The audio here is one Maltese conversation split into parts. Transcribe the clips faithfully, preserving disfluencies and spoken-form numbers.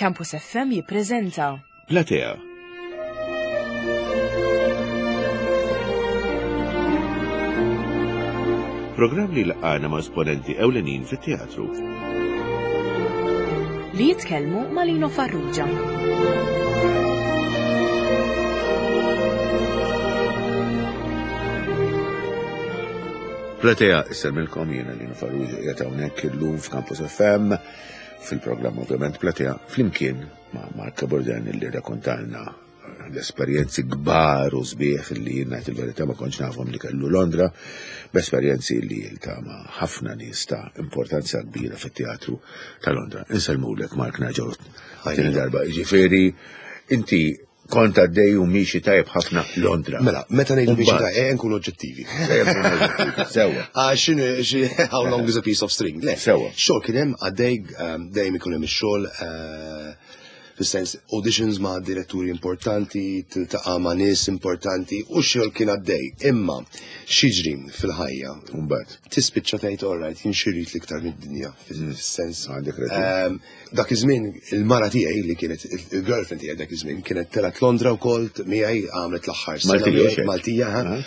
Campus F M jippreżenta Platea. Programm li laqana ma' esponenti ewlenin fit-teatru. Li jitkellmu ma' Lino Farrugia. Platea, insellmilkom, jiena Lino Farrugia, qiegħed hawnhekk illum f'Campus F M fil-programm ovvjament Platea flimkien ma' Mark Cabourdin, li rrakkontalna l-esperjenzi kbar u sbieħ li jien, ngħid il-verità, ma kontx nafhom li kellu Londra, b'esperjenzi li jiltaqa' ma' ħafna nies ta' importanza kbira fit-teatru ta' Londra. Insellmulek, Mark, nerġgħu tieni darba. Ġifieri inti kont għaddej u miexi tajb ħafna Londra. Mela, meta ngħidu miexi Mbagħad. tajb, eh, nkunu oġġettivi. Ejja nkunu oġġettivi. Sewwa. Għax x'inhu- how long is a piece of string? Le, Sewwa. xogħol kien hemm għaddej, um, dejjem ikun hemm ix-xogħol, eh, fis-sens auditions ma' diretturi importanti, tiltaqa' ma' nies importanti u xogħol kien għaddej. Imma x'jiġri fil-ħajja? Mbagħad. Tispiċċa tgħid, "All right, jien xi rrid l-iktar mid-dinja?" Fis-sens. Għandek raġun. Um, dak iż-żmien il-mara tiegħi, li kienet il-girlfriend tiegħi dak iż-żmien, kienet telgħet Londra wkoll miegħi, għamlet l-aħħar sena Maltija, miegħi, xejn? Maltija, ha? Ah.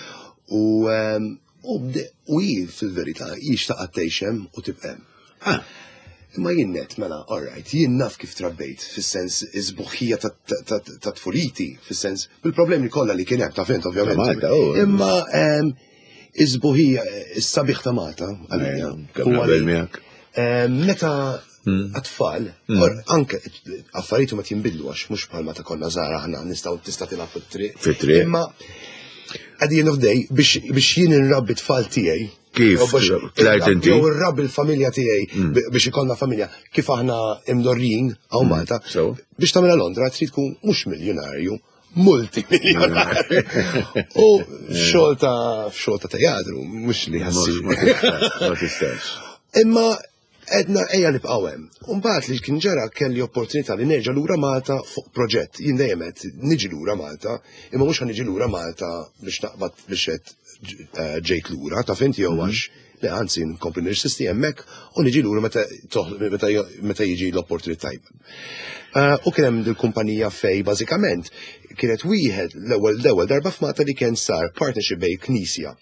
U um, u bde- u hi fil-verità hi xtaqat tgħix hemm u tibqa' hemm. Ah. Imma jien għedt, mela, all right, jien naf kif trabbejt, fis-sens is-sbuħija ta' ta' ta' tfuliti, fis-sens bil-problemi kollha li kien hemm, ta' fint, ovvjament. Ta' Malta, oh. Imma em, is-sbuħija, is-sabiħ ta' Malta, għalija, Kemm huwa naqbel li, miegħek. em, meta għat-tfal, or anke affarijiet ma jinbidlu, għax mhux bħalma ta' konna żgħar aħna nistgħu tista' tilgħab fit-triq. Fit-triq. Imma at the end of the day, biex biex jien inrabbi tfal tiegħi. Kif jew biex tlajt inti? Jew irrabbi l-familja tiegħi bi- biex ikollna familja kif aħna imdorrin hawn Malta. So? Biex tagħmilha Londra trid tkun mhux miljonarju, multimiljonarju. U f'xogħol ta' f'xogħol ta' teatru, mhux li ħassi. Ma tistax, ma tistax. Imma għedna ejja nibqgħu hemm. Umbagħad li kien ġara, kelli opportunità li nerġa' lura Malta fuq proġett. Jien dejjem qed niġi lura Malta, imma mhux ħa niġi lura Malta biex naqbad biex qed eh, ġejt lura, ta' fint, jew għax le, anzi nkompli nirsisti hemmhekk u niġi lura meta toħ- meta meta jiġi l-opportunità tajba. Eh, U kien hemm dil-kumpanija fej bażikament kienet wieħed l-ewwel l-ewwel darba f'Malta li kien sar partnership bejn knisja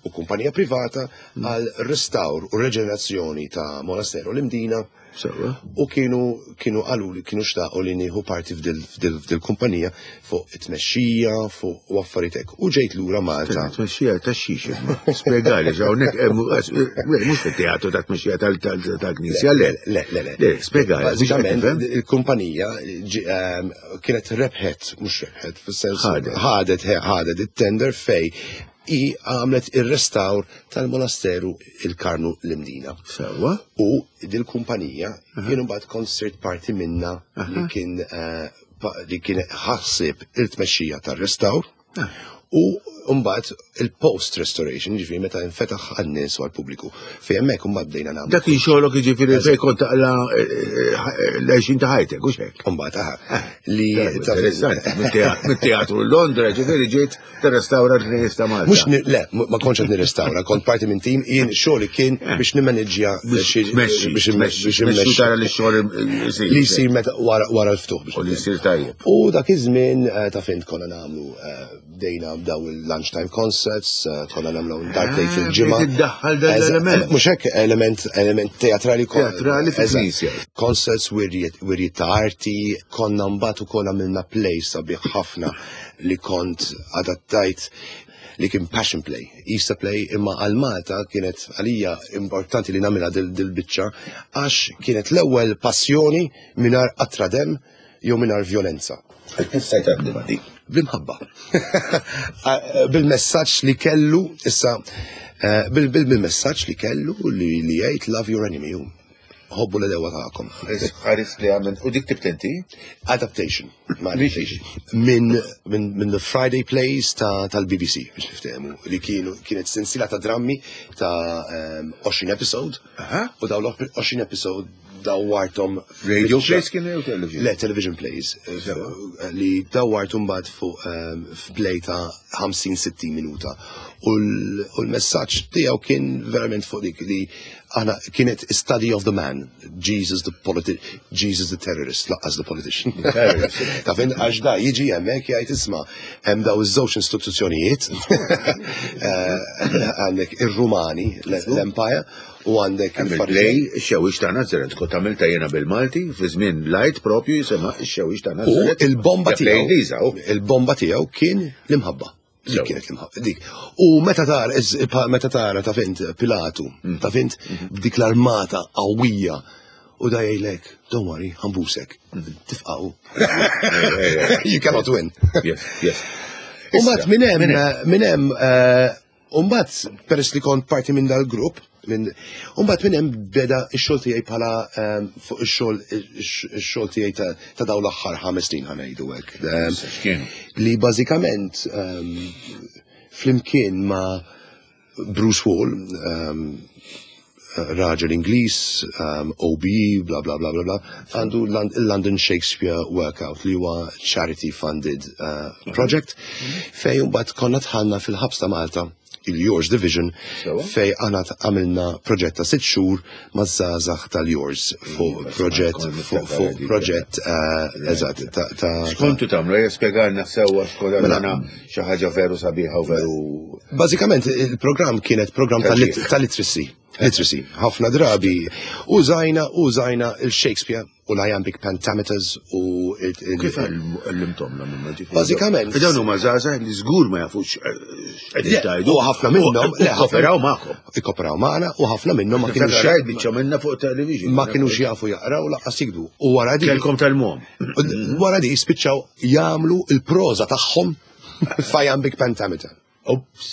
u kumpanija privata għal restawr u reġenerazzjoni ta' monasteru l-Imdina. Sewwa. U kienu kienu qalu li kienu xtaqu li nieħu parti f'dil f'dil f'dil kumpanija fuq it-tmexxija fuq u affarijiet hekk. U ġejt lura Malta. Tmexxija ta' xiex, imma. Spjegali, hawnhekk eh, mu- eh, mhux fit-teatru ta' tmexxija tal-knisja, le. Le, le, le. Le, spjegali. Bażikament il-kumpanija ġi- ehm, kienet rebħet, mhux rebħet, fis-sens Ħadet. ħadet, ħadet it-tender fej i għamlet ir-restawr tal-monasteru il-Karmnu l-Imdina. Sewwa. U dil-kumpanija jien mbagħad kont sirt parti minna li kien eh, pa- li kien ħassib il-tmexxija tar-restawr u mbagħad il-post restoration, ġifieri meta infetaħ għan-nies u għall-pubbliku. Fejn hemmhekk mbagħad bdejna nagħmlu. Dak kien xogħolok, jiġifieri fejn kont taqla eh, l-għexin ta' ħajtek, u hekk. Mbagħad aha li Interessanti, mit-teatru Londra, ġifieri ġiet tirrestawra l-Knisja ta' Malta. Mhux ni- le, ma kontx qed nirrestawra, kont parti minn tim, jien xogħli kien biex nimmaneġġja biex tmexxi, biex tmexxi, biex tmexxi immexxi tara li x-xogħol isir. li jsir meta wara wara l-ftuħ biex U li jsir tajjeb. U dak iż-żmien eh, ta' fint konna nagħmlu eh, bdejna bdaw il-lunchtime concerts, eh, konna nagħmlu darbtejn Ah, fil-ġimgħa. bdejt iddaħħal dan Eżatt, l-element. Mhux hekk, element element teatrali. kon- Teatrali fil-knisja. Eżatt. Concerts, wirjiet wirjiet ta' arti, konna mbagħad ukoll għamilna play sabiħ ħafna li kont adattajt, li kien Passion Play, Easter Play, imma għal Malta kienet għalija importanti li nagħmilha dil, dil-biċċa għax kienet l-ewwel passjoni mingħajr qatra dem jew mingħajr violenza. Kif stajt taħdimha dik? Bl-imħabba. Bil-messaġġ li kellu, issa, eh, bil- bil- bil-messaġġ li kellu li li jgħid "Love your enemy", hu. Ħobbu l-għedewwa tagħkom. Ħaris li għamil, u dik ktibt inti? Adaptation. Ma adaptation. Minn min, min the Friday Plays ta' tal-B B C, biex niftehmu, li kienu kienet sensila ta' drammi ta' um, għoxrin episode. Aha. U daw l-għoxrin episode dawwarthom Radio plays kienu jew television? Le, television plays. eh, Li dawwarthom mbagħad fuq ehm, f'play ta' ħamsin sittin minuta. U l- u l-messaġġ tiegħu kien verament fuq dik li aħna kienet study of the man, Jesus the politi Jesus the terrorist, lanqas the politician. Terrorist. Ta' fin għax da jiġi hemmhekk jgħid, "Isma', hemm daw iż-żewġ istituzzjonijiet, eh, għandek ir-Rumani, l-Empire, u għandek Hemm il-Farisej." il-play Ix-Xewwix ta' Nazaret, kont għamilta jiena bil-Malti, fi żmien light propju jisimha Ix-Xewwix ta' U Nazaret. il-bomba Ja, play tiegħu Ingliża, u. il-bomba tiegħu kien l-imħabba. Dik Sew. kienet l-imħabba. Dik. U meta tara is- meta tara ta' fint Pilatu, ta' fint b'dik l-armata qawwija u da jgħidlek, "Don't worry, ħa nbusek." Tifqaw. You cannot win. Yes, yes. U mbagħad minn hemm minn hemm eh, u mbagħad peress li kont parti minn dal-grupp, minn u mbagħad minn hemm beda x-xogħol tiegħi bħala eh, fuq ix-xogħol ix-xogħol tiegħi ta' ta' dawn l-aħħar ħames snin, ħa ngħidu hekk. Eh, X'kienu? Li bażikament um, flimkien ma' Bruce Wall, um, raġel Ingliż, um, O B E, bla bla bla bla bla, għandu il-London Shakespeare Workout li huwa charity funded uh, project fej mbagħad konna dħalna fil-ħabs ta' Malta, il-Yours Division, Sewa. fej aħna għamilna proġett ta' sitt xhur maż-żgħażagħ tal-Yours fuq Iva, proġett kont fuq niftakar fuq dik. proġett uh, eżatt ta' ta' X'kontu tagħmlu? Ejja spjegalna sewwa x'kont Mela. għandna xi ħaġa veru sabiħa u veru. Bażikament il-programm kienet programm ta' lit- ta' literacy. Literacy. Ħafna drabi użajna użajna il-Shakespeare u l-iambic pentameters u il- il- Kif għallimtom la minna ġifieri? Bażikament. Dawn huma żgħażagħ li żgur ma jafux x'qegħdin Le, tgħidu. u ħafna minnhom le, ħafna- Kooperaw magħkom. Ikkoperaw magħna u ħafna minnhom ma kienux Rajt biċċa minna fuq television. ma kienux jafu jaqraw lanqas jiktbu. U wara di Kelkom tal-mom. wara di spiċċaw jagħmlu il-proża tagħhom f'iambic pentameter. Ops,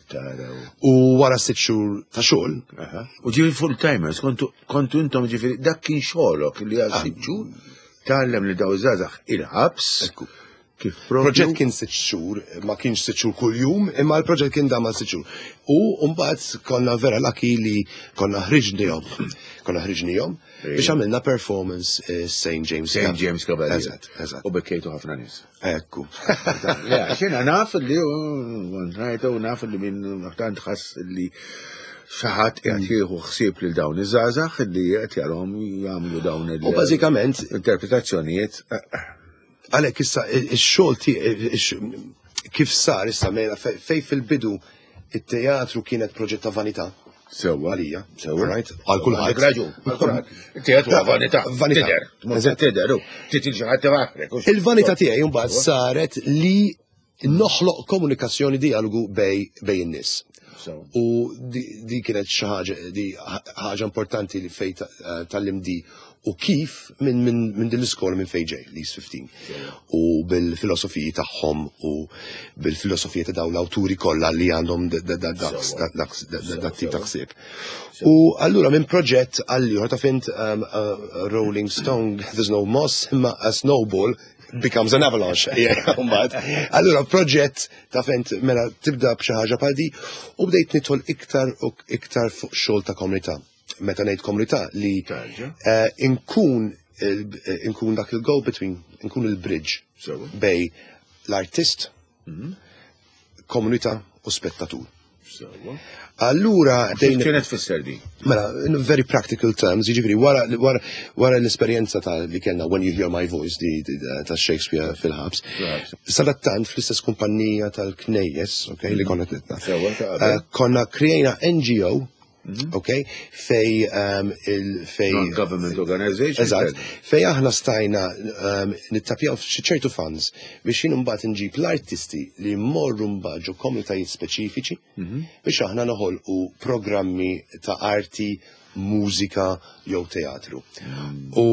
taraw. U wara sitt xhur ta' xogħol, Aha. U ġifieri full timers, kontu kontu intom ġifieri dak kien xogħolok li għal sitt xhur tgħallem li daw żgħażagħ il-ħabs. Ekku. Kif propju. Proġett kien sitt xhur, ma kienx sitt xhur kuljum, imma l-proġett kien dam għal sitt xhur. U mbagħad konna vera lucky li konna ħriġnihom. Konna ħriġnihom biex għamilna performance eh, Saint James. Saint James Cavalier. Eżatt, eżatt. U bekkejtu ħafna nies. Ekku. Le, xina naf li rajtu naf li minn tant ħass li xi ħadd qiegħed jieħu ħsieb lil dawn iż-żgħażagħ li qed jarahom jagħmlu dawn il- U bażikament interpretazzjonijiet. Għalhekk issa ix-xogħol tiegħi kif sar issa mela fej fej fil-bidu it-teatru kienet proġett ta' vanità. Sewwa. Għalija. Sewwa. Right? Għal kulħadd. Għandek raġun, għal kulħadd. Teatru huwa vanità. Vanità. Tidher, tmur tidher, u titil xi ħadd tifaħrek. Il-vanità tiegħi mbagħad saret li noħloq komunikazzjoni, dialogu bej bej in-nies. Sewwa. U di, di kienet xi ħaġa di ħaġa importanti li fej ta- eh, tgħallimt di u kif minn min, min din l-iskola minn fejn ġej, l-East fifteen. U bil-filosofiji tagħhom u bil-filosofija ta' dawn l-awturi kollha li għandhom dak tip ta' ħsieb. U allura minn proġett għal ieħor ta' fint um, uh, Rolling Stone, there's no moss, imma a snowball becomes an avalanche. Yeah, mbagħad. Allura proġett ta' fint mela tibda b'xi ħaġa bħal di u bdejt nidħol iktar u iktar fuq xogħol ta' komunità. Meta ngħid komunità li Tarġa. eh, inkun il- inkun dak il-go between, inkun il-bridge Sewwa. bej l-artist, komunità u spettatur. Sewwa. Allura Kif kienet tfisser di? Mela, in very practical terms, jiġifieri wara, wara, wara l-esperjenza ta' li kellna When You Hear My Voice di, di, ta' Shakespeare fil-ħabs, Fil-ħabs. sadattant fl-istess kumpanija tal-Knejjes, ok, li konna tlitna, Sewwa, ta' qabel. eh, konna krejna N G O, ok, fej um, il fej Non-government organization. Eżatt, fej aħna stajna um, nittapjaw f'xi ċertu funds biex jien mbagħad nġib l-artisti li jmorru mbagħad ġo komunitajiet speċifiċi biex aħna noħolqu programmi ta' arti, mużika jew teatru. U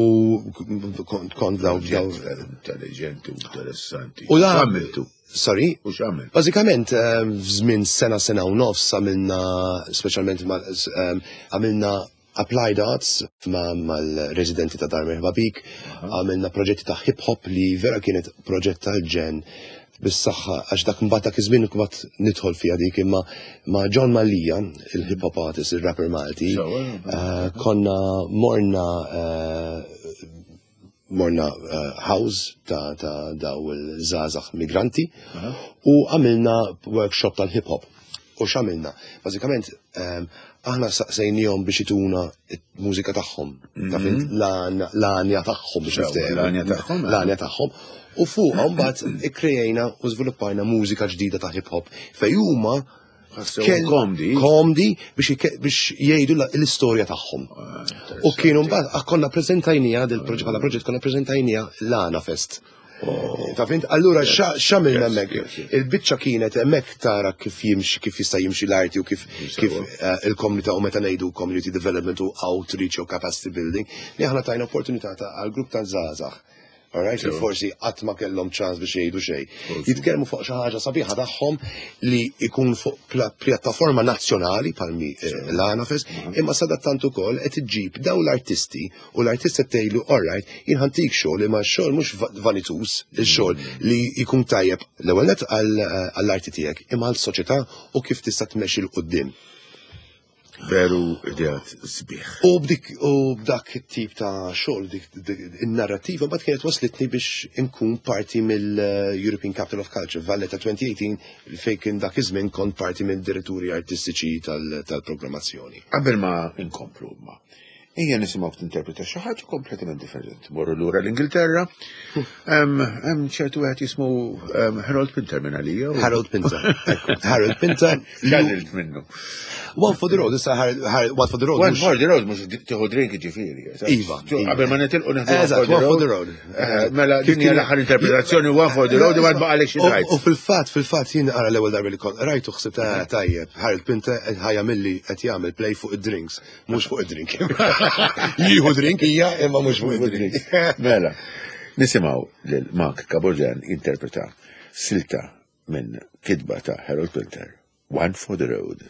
kont kont daw daw Intelligenti u interessanti. U da- X'għamiltu? Sorry? U x'għamilt? Bażikament, um, f'żmien sena, sena u nofs għamilna, speċjalment ma- um, għamilna applied arts ma' mal-residenti ta' Dar Merħba Bik, għamilna proġetti ta' hip hop li vera kienet proġett tal-ġenn. Bis-saħħa, għax dak mbagħad dak iż-żmien mbagħad nidħol fiha dik, imma ma' Jon Mallia, il-hip hop artist, il-rapper Malti, eh, konna morna eh, morna eh, house ta' ta' daw il-żgħażagħ migranti u għamilna workshop tal-hip hop. U x'għamilna? Bażikament ehm, aħna saqsejnihom biex jtuna mużika tagħhom, ta' fint l-għanja tagħhom biex Sewa, niftehmu. l-għanja tagħhom, eh. L-għanja tagħhom. U fuq mbagħad ikkrejajna u żviluppajna mużika ġdida ta' hip hop fej huma Ħassew kell- komdi. komdi biex ike- biex jgħidu la- l-istorja tagħhom. U kienu mbagħad ah, konna preżentajnija del proġett bħala proġett konna preżentajnija l-Għana Fest. Ta' fint, allura x'għamilna Yes, hemmhekk? yes, yes. Il-biċċa kienet hemmhekk tara kif jimxi, kif jista' jimxi l-arti u kif kif eh, il-komunità u meta ngħidu community development u outreach u capacity building, li aħna tajna opportunità ta' għal grupp ta' żgħażagħ. Alright, li forsi qatt ma kellhom ċans biex jgħidu xejn. Jitkellmu fuq xi ħaġa sabiħa tagħhom li jkun fuq pla- pjattaforma nazzjonali palmi eh, l-Għana Fest, imma sadattant ukoll qed iġġib daw l-artisti u l-artist qed tgħidlu alright, jien ħa ntik xogħol imma x-xogħol mhux va- vanitus, il-xogħol li jkun tajjeb l-ewwel nett għall- għall-arti tiegħek imma għall-soċjetà u kif tista' tmexxi 'l quddiem. Veru ideat sbieħ. U b'dik u b'dak it-tip ta' xogħol dik dik- in-narrativa mbagħad kienet waslitni biex inkun parti mill-European Capital of Culture Valletta elfejn u tmintax fejn kien dak iż-żmien kont parti mill-diretturi artistiċi tal- tal-programmazzjoni. Qabel ma inkomplu ma. Ejja nisimgħu tinterpreta xi ħaġa kompletament differenti. Morru lura l-Ingilterra. Hemm hemm ċertu wieħed jismu em, Harold Pinter minn għalija. u- Harold Pinter. Ekku, Harold Pinter. X'għamilt minnu. One for the Road, issa Harold- Harold- One for the Road. One mhux- for the road, mhux tieħu drink ġifieri. Iva, iva. Qabel ma nitilqu nieħdu Eżatt, One for the Road. Eh, Mela Kif din hija kien- l-aħħar interpretazzjoni One for the Road u ma baqalek xi U- tgħid. U fil-fatt, fil-fatt jien ara l-ewwel darba li kont rajtu ħsibt ah, tajjeb, Harold Pinter qed ħa jagħmilli qed jagħmel play fuq id-drinks, mhux fuq id-drink. Jieħu drink hija imma mhux fuq id-drink. Mela, nisimgħu lil Mark Cabourdin interpreta silta minn kitba ta' Harold Pinter, One for the Road.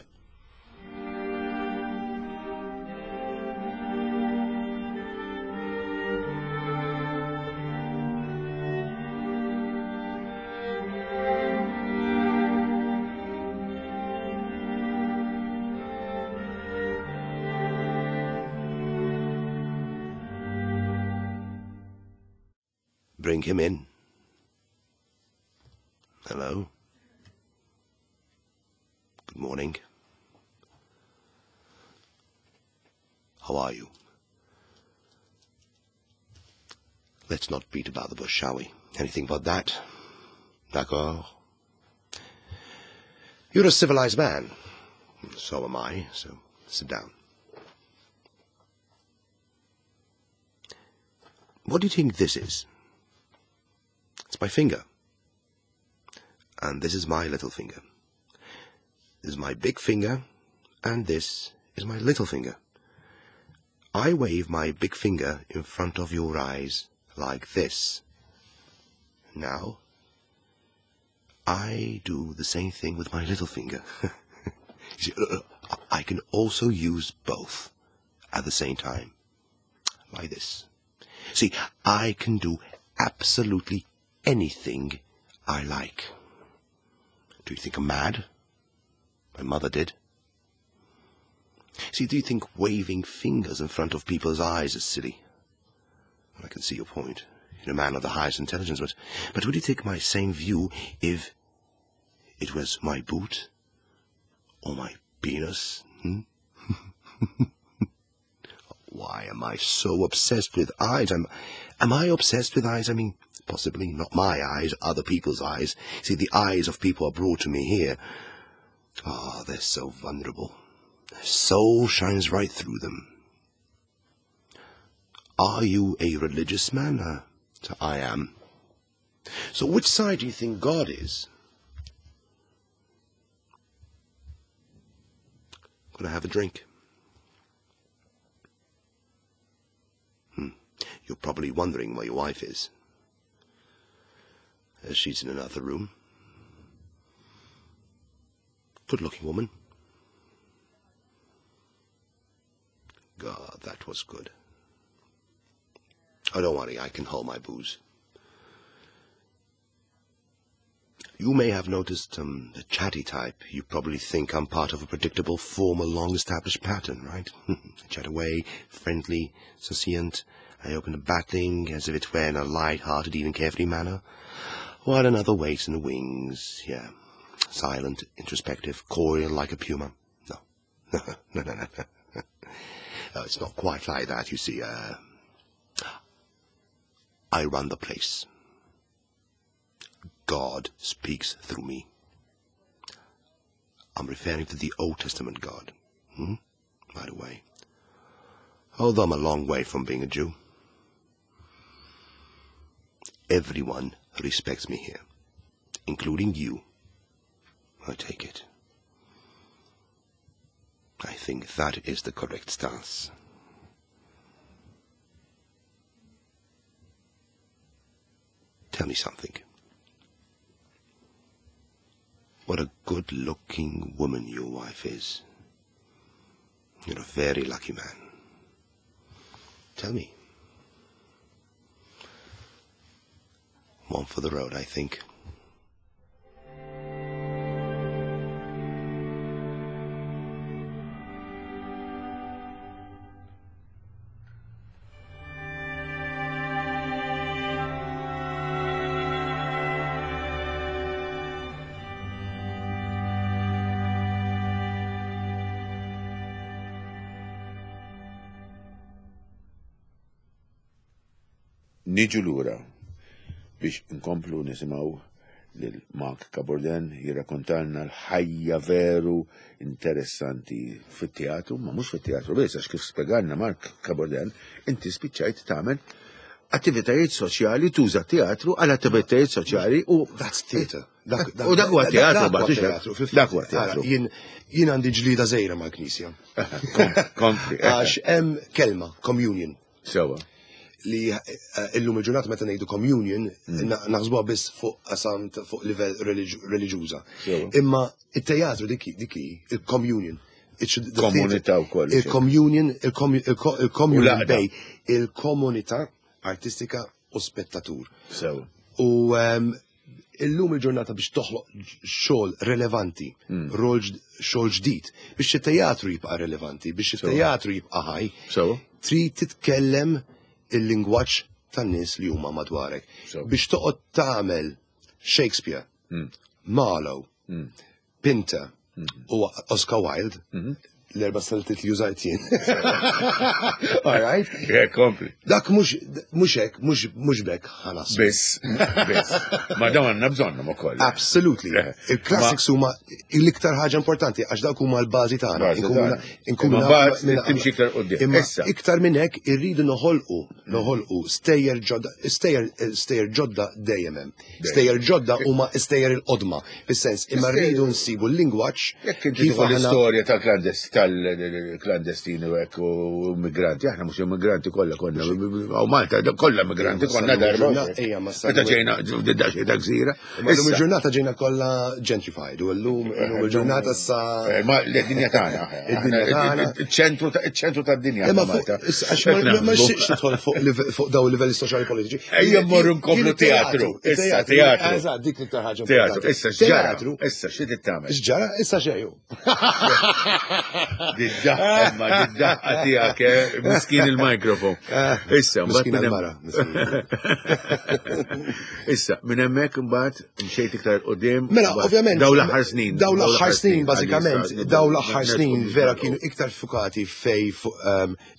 Bring him in. Hello. Good morning. How are you? Let's not beat about the bush, shall we? Anything but that. D'accord? You're a civilized man. So am I, so sit down. What do you think this is? It's my finger. And this is my little finger. This is my big finger, and this is my little finger. I wave my big finger in front of your eyes like this. Now, I do the same thing with my little finger. You see, uh, uh, I can also use both at the same time, like this. See, I can do absolutely anything I like. Do you think I'm mad? My mother did. See, do you think waving fingers in front of people's eyes is silly? Well, I can see your point. You're a man of the highest intelligence, but, but would you take my same view if it was my boot or my penis? Hmm? Why am I so obsessed with eyes? Am, am I obsessed with eyes? I mean, possibly not my eyes, other people's eyes. See, the eyes of people are brought to me here. Ah, they're so vulnerable. Their soul shines right through them. Are you a religious man? Uh, so I am. So which side do you think God is? Gonna have a drink. Hmm. You're probably wondering where your wife is. Uh, she's in another room. Good-looking woman. God, that was good. Oh, don't worry, I can hold my booze. You may have noticed um, the chatty type. You probably think I'm part of a predictable, formal, long-established pattern, right? Chat away, friendly, succinct. I open the batting as if it were in a light-hearted, even carefree manner, while another waits in the wings, yeah. Silent, introspective, coiled like a puma. No. No, no, no, no. Uh, it's not quite like that, you see. Uh, I run the place. God speaks through me. I'm referring to the Old Testament God, hmm? By the way. Although I'm a long way from being a Jew. Everyone respects me here, including you. I take it. I think that is the correct stance. Tell me something. What a good-looking woman your wife is. You're a very lucky man. Tell me. One for the road, I think. Niġu lura biex nkomplu nisimgħu lil Mark Cabourdin jirrakkontalna l-ħajja veru interessanti fit-teatru, ma mhux fit-teatru biss, għax kif spjegalna Mark Cabourdin, inti spiċċajt tagħmel attivitajiet soċjali, tuża teatru għal attivitajiet soċjali u That's theater. U dak huwa teatru, dak huwa teatru. Jien għandi ġlida żgħira mal-Knisja. Kompli. Għax hemm kelma, communion. Sewa. Li illum il-ġurnata meta ngħidu communion naħsbuha biss fuq qasam fuq livell reliġjuża. Imma it-teatru dik dik il-communion. Komunità wkoll. Il-communion, il-communion bej il-komunità artistika u spettatur. Sewa. U illum il-ġurnata biex toħloq xogħol relevanti, rol xogħol ġdid, biex it-teatru jibqa' relevanti, biex it-teatru jibqa' ħaj, trid titkellem il-lingwaġġ tan-nies li huma madwarek. Biex toqgħod tagħmel Shakespeare, Marlowe, Pinter u Oscar Wilde, l-erba' saltit li użajt jien. All right? Yeah, kompli. Dak mhux mhux hekk, mhux bekk ħanas. Biss, biss. Ma dawn għandna bżonnhom ukoll. Absolutely. Il-classics huma l-iktar ħaġa importanti għax dawk huma l-bażi tagħna. Inkunu timxi iktar quddiem. Imma iktar minn hekk irridu noħolqu, noħolqu stejjer ġodda, stejjer stejjer ġodda dejjem hemm. Stejjer ġodda huma stejjer il-qodma, fis-sens imma rridu nsibu l-lingwaġġ. Jekk inti tieħu l-istorja tal-klandestin tal-klandestini u hekk u immigranti, aħna mhux immigranti kollha konna, u Malta kollha immigranti konna darba. Meta ġejna ġejna gżira. Illum il-ġurnata ġejna kollha gentrified u llum il-ġurnata sa. Ma l-dinja tagħna. Iċ-ċentru iċ-ċentru tad-dinja. Malta. Għax ma nixtieqx nidħol fuq dawn il-livelli soċjali politiċi. Ejja mmorru nkomplu teatru. Issa teatru. Eżatt, dik l-iktar ħaġa. Teatru, issa x'ġara. Issa xi tagħmel? X'ġara, issa xejn. Did-daħqa, ma did-daħqa tiegħek, miskin il-mikrofon. Issa, miskin il-mara. Issa, minn hemmhekk imbagħad mxejt iktar qudiem. Mela, ovvjament. Daw l-aħħar snin. Daw l-aħħar snin, bażikament, daw l-aħħar snin vera kienu iktar fukati fej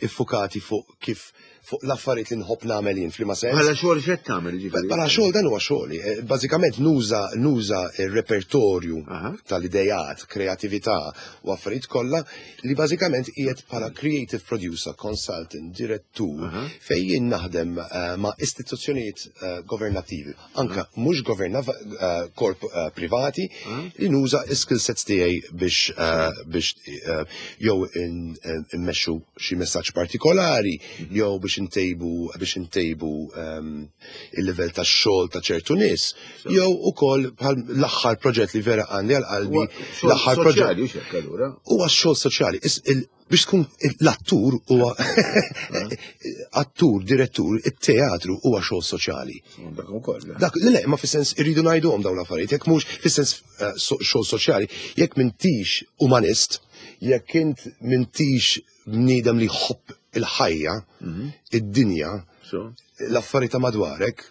iffukati fuq kif fuq l-affarijiet li nħobb nagħmel jien f'liema sens. Bħala xogħol x'qed tagħmel jiġifieri? Bħala xogħol dan huwa xogħli. Bażikament nuża nuża r-repertorju tal-idejat, kreatività u affarijiet kollha li bażikament qiegħed bħala creative producer, consultant, direttur fejn jien naħdem ma' istituzzjonijiet governattivi, anke mhux governav korp privati li nuża skill sets tiegħi biex biex jew immexxu xi messaġġ partikolari jew biex biex intejbu biex intejbu ehm, il-livell ta' xogħol ta' ċertu nies, jew ukoll bħal l-aħħar proġett li vera għandi għal qalbi, l-aħħar proġett soċjali, xek allura. Huwa xogħol soċjali. Is- il- Biex tkun l-attur huwa attur, direttur, it-teatru huwa xogħol soċjali. Dak ukoll. Dak, le, le, ma fis-sens irridu ngħiduhom dawn l-affarijiet, jekk mhux fis-sens eh, so- xogħol soċjali, jekk m'intix umanist, jekk int m'intix bniedem li jħobb il-ħajja, id-dinja, So. l-affarijiet ta' madwarek,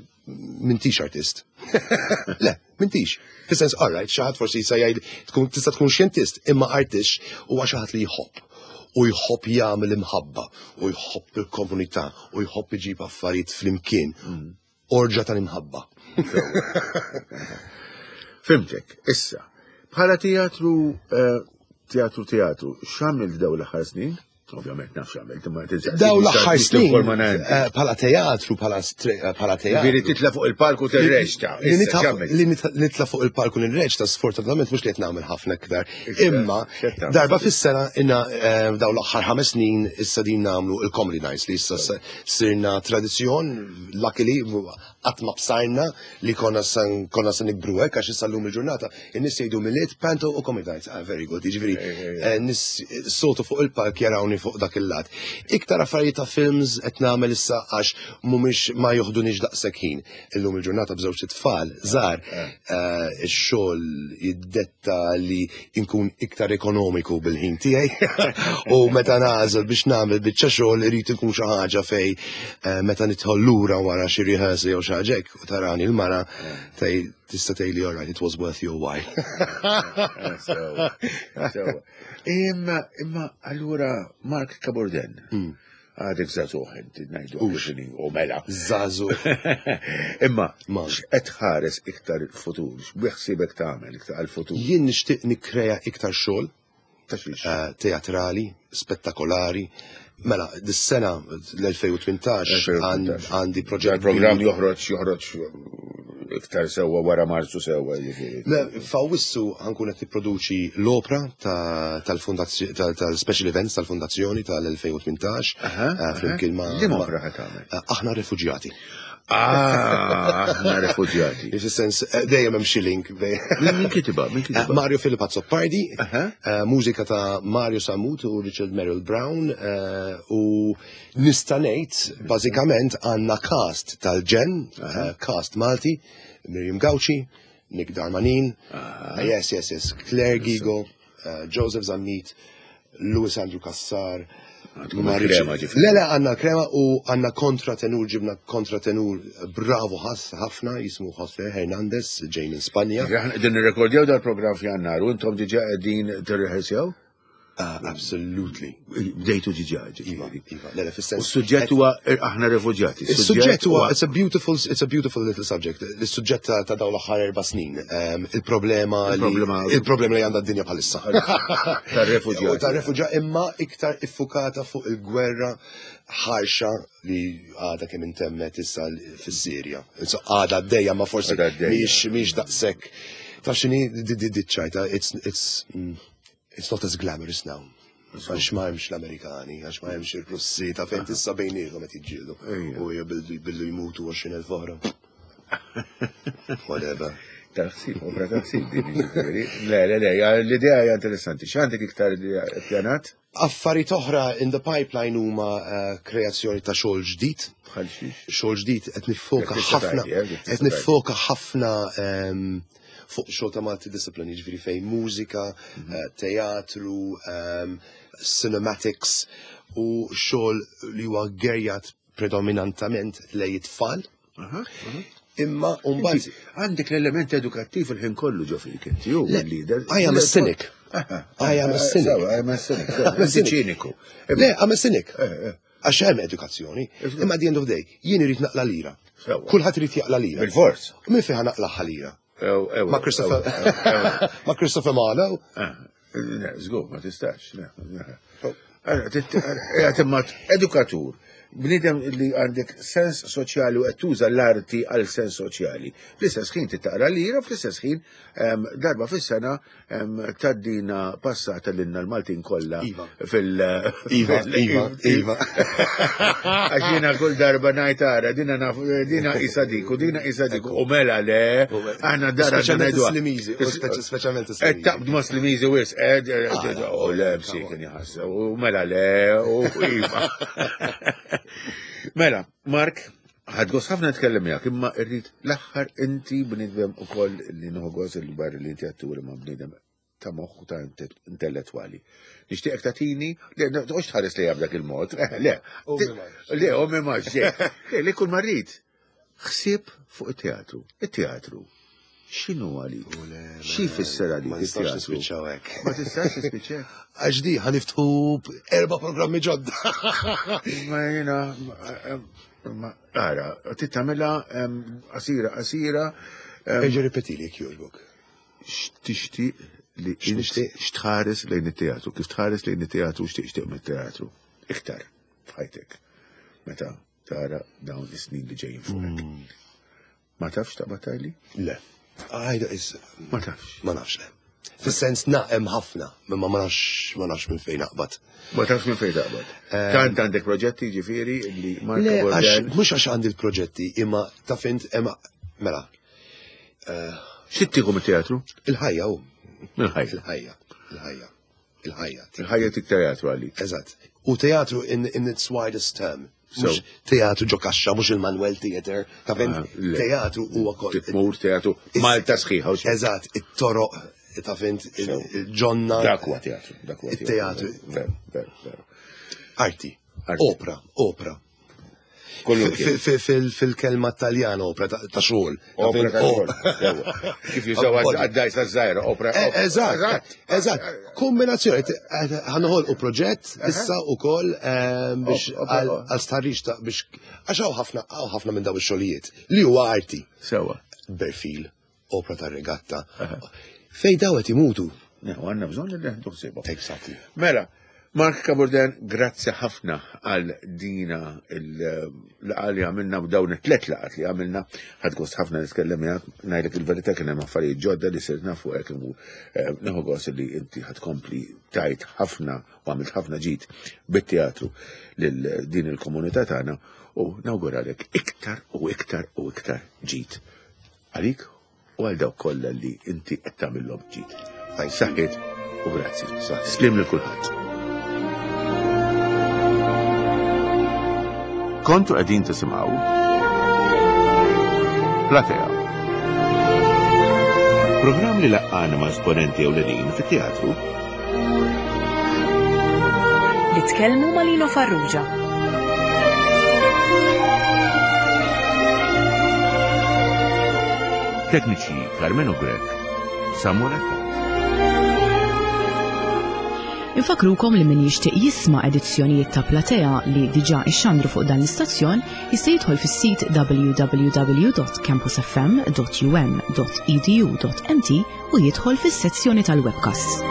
m'intix artist. Le, m'intix. Fis-sens, all right, xi ħadd forsi jista' jgħid tkun tista' tkun xjentist, imma artist huwa xi ħadd li jħobb. U jħobb jagħmel imħabba, u jħobb il-komunità, u jħobb iġib affarijiet flimkien. Orġa tal-imħabba. Fhimtek, issa, bħala teatru, eh, teatru teatru, x'għamilt daw l-aħħar snin? Ovvjament naf x'għamilt, imma tinsaqsi. Daw l-aħħar snin, Informant. eh, bħala teatru, bħala stre- eh, bħala teatru. Ġifieri titla' fuq il-palku tirreċta. Li Issa, nitla' x'għamilt? li nitla- nitla' fuq il-palku nirreċta sfortunatament mhux li qed nagħmel ħafna iktar. Issa, Imma x'qed tagħmel? darba fis-sena inna eh, daw l-aħħar ħames snin issa din nagħmlu il-Comedy Nights li issa s- sirna tradizzjon, luckily qatt ma bsarna li konna san konna se nikbru hekk għax issa llum il-ġurnata in-nies jgħidu Milied, Panto u Comedy Nights. Ah, very good. Jiġifieri eh, nies sotu fuq il-palk jarawni fuq dak il-lat. Iktar affarijiet ta' films qed nagħmel issa għax mhumiex ma joħdunix daqshekk ħin. Illum il-ġurnata b'żewġ tfal żgħar eh, ix-xogħol jiddetta li nkun iktar ekonomiku bil-ħin tiegħi u meta nagħżel biex nagħmel biċċa xogħol irid ikun xi ħaġa fej eh, meta nidħol lura wara xi rehearsal jew xi ħaġa hekk u tarani l-mara tej tista' tgħidli all right, it was worth your while. Eh, Sewa, sewa. Imma, imma, allura, Mark Cabourdin, għadek żagħżugħ inti ngħidu għaxini, u mela. Żagħżugħ. Imma, Man. x'qed tħares iktar il-futur, x'beħsiebek tagħmel iktar għal-futur? Jien nixtieq nikkrea iktar xogħol Ta' xiex? eh, teatrali, spettakolari. Mela, dis-sena l-elfejn u tmintax għand- għandi proġett. Il-programm joħroġ joħroġ iktar sewwa wara Marzu sewwa, jiġifieri. Le, f'Awwissu ħa nkun qed nipproduċi l-opra ta- tal-fondazzjoni tal-special events tal-fondazzjoni tal-elfejn u tmintax Aha, eh, flimkien ma' Liema ma- opra ħa tagħmel? eh, Aħna Refuġjati. Ah, aħna refuġjati. Fis-sens eh, dejjem hemm xi link bejn Min min kitibha? Min Eh, kitibha? Mario Philip Azzopardi, Aha. eh, mużika ta' Mario Samut u Richard Merrill Brown, eh, u nista' ngħid bażikament għandna cast tal-ġenn, eh, cast Malti, Miriam Gauci, Nick Darmanin, eh, yes, yes, yes, Claire Gigo, eh, Joseph Zammit, Louis Andrew Cassar, Għandkom Marici- il-krema, ġifieri. Le, le, għandna krema u għandna kontratenur, ġibna kontratenur bravo ħas ħafna, jismu Jose Hernandez, ġej minn Spanja. Aħna qegħdin nirrekordjaw dal-programm f'Jannar u intom diġà qegħdin tirrehearsjaw? Uh, absolutely. Bdejtu diġà, Iva, ġifieri. iva. Le, le, U fis-sens. s-suġġett huwa aħna refuġjati. Is-suġġett huwa it's a beautiful it's a beautiful little subject. Is-suġġett ta' ta' dawn l-aħħar erba' snin. Um, Il-problema li Il-problema- il-problema li għandha d-dinja bħalissa. Tar-refuġjati. Tar-refuġjati imma iktar iffukata fuq il-gwerra ħarxa li għadha kemm intemmet issa fis-Sirja. Insomma, għadha għaddejja ma forsi Għadha għaddejja. mhix mhix daqshekk. Taf x'inhi di di di ċajta, it's it's mm, it's not as glamorous now. Għax ma hemmx l-Amerikani, għax ma hemmx il-Russi, ta' fejn tissa bejniethom qed jiġġieldu. Ejja. U billu billu jmutu għoxrin elf oħra. Whatever. Taħsib, opra taħsib din ġifieri. Le, le, le, ja, l-idea hija interessanti. X'għandek iktar li pjanat? Affarijiet oħra in the pipeline huma eh, kreazzjoni ta' xogħol ġdid. Bħal xiex? Xogħol ġdid qed nifoka Jekk tista' ħafna tgħid, eh, jekk tista' qed nifoka ħafna ehm, fuq xogħol ta' multidiscipline, jiġifieri fejn mużika, eh, teatru, ehm, cinematics u xogħol li huwa gerjat predominantament lejn it-tfal. Imma mbagħad Inti għandek l-element edukattiv il-ħin kollu ġo fik inti, u Le, l-leader. I am a cynic. I am a cynic. Sewa, I am a cynic. I'm a Inti cynic. ċiniku. Le, I'm a cynic. Eh, eh. Għax hemm edukazzjoni. Imma at the end of the day, jien irid naqla lira. Sewa. Kulħadd irid jaqla lira. Bil-fors. Min fejn naqla lira? Ew, ew, Ma' Christopher ew, ew. ma' Christopher Marlowe. Ah, le, żgur, ma tistax. le, le. Oh. Allora, tit- eh, imma edukatur Bniedem li għandek sens soċjali u qed tuża l-arti għal sens soċjali. Fl-istess ħin titaqra lira, fl-istess ħin darba fis-sena tgħaddina passata lilna l-Maltin kollha Iva. fil- Iva, iva, iva. Għax jiena kull darba ngħid ara, dina naf, dina isa dik u dina isa dik u mela le, aħna dara Speċjalment is-Slimiżi, u speċi- speċjalment Qed is-Slimiżi. taqbdu ma' Slimiżi wisq, ed, u le, msiken jħassa, u mela le, u iva. Mela, Mark, ħadt gost ħafna nitkellem miegħek, imma rrid l-aħħar inti bniedem ukoll li nieħu gost li barra li inti atturi ma' bniedem ta' moħħ u ta' intellettwali. Nixtieqek tagħtini, le, toqgħodx tħares lejha b'dak il-mod, eh, le. U mi Le, u mi max, le. Le, li kull ma rrid. Ħsieb fuq it-teatru. It-teatru. X'inhu għalik? Xi jfisser għalik Ma nistax it-teatru? nispiċċaw hekk. Ma tistax tispiċċa? Għax di ħa niftħu erba' programmi ġodda. Ma jena, ma, ara, tittamela qasira, qasira, Eġa ripetili jekk jogħġbok. x'tixtieq li int X'nixtieq? x'tħares lejn it-teatru, kif tħares lejn it-teatru, x'tixtieq mit-teatru. Iktar, f'ħajtek. Meta tara dawn is-snin li ġejjin fuqek. Ma tafx taqbad tgħidli? Le. Għajda is. Ma tafx. Ma nafx le. Fis-sens naqem ħafna, imma ma nafx ma nafx minn fejn naqbad. Ma tafx minn fejn taqbad. Tant għandek proġetti ġifieri li Mark Le, għax Borden. mhux għax għandi l-proġetti, imma taf int imma mela. X'tieħu mit-teatru? Il-ħajja hu. Mill-ħajja. Il-ħajja. Il-ħajja. Il-ħajja. Il-ħajja tik teatru għalik. Eżatt. U teatru in, in its widest term. So. Mhux teatru ġo kaxxa, mhux il-Manuel Theater. Ta' fint, Ah, le. teatru huwa kol. Titmur teatru Malta sħiħa. u xi- Eżatt, it-toroq, ta' fint, il-ġonna. Dak huwa teatru, dak huwa Il-teatru. Veru, veru, veru. Arti. Arti. Opra, opra. Kollu Fi- fi- fil- Fil-kelma taljana opra ta' ta' xogħol. Ta' Opra fint, ta' xogħol. opra. Sewwa. Kif jużaw għad-dajsa żgħira, opra. Eh, Eżatt, eżatt. Kombinazzjoni, ħa noħolqu proġett issa u koll biex Op- opra- għal għal stħarriġ ta' biex għax hawn ħafna hawn ħafna minn daw ix-xogħlijiet li huwa arti. Sewwa. Berfil, opra ta' regatta. Fej daw qed imutu. Ne, u għandna bżonn li neħdu ħsiebhom. Exactly. Mela, Mark Cabourdin, grazzi ħafna għal dina il-laqgħa li għamilna u dawn it-tlet laqgħat li għamilna. Ħadt gost ħafna nitkellem miegħek, ngħidlek il-verità kien hemm affarijiet ġodda li sirt nafu hekk u eh, nieħu gost li inti ħad kompli tajt ħafna u għamilt ħafna ġid bit-teatru lil din il-komunità tagħna u nawguralek iktar u iktar u iktar ġid għalik u għal dawk kollha li inti qed tagħmilhom ġid. Saħħit u grazzi. Slim lil kulħadd. Kontu qegħdin tisimgħu Platea. Programm li laqqana ma' esponenti ewlenin fit-teatru Li tkellmu ma' Lino Farrugia. Tekniċi Carmelo Grech, Samuel Attard. Infakrukom li min jixtieq jisma' edizzjonijiet ta' Platea li diġà ixxandru fuq dan l-istazzjon jista' jidħol fis-sit w w w dot campus f m dot u m dot e d u dot m t u jidħol fis-sezzjoni tal-webcast.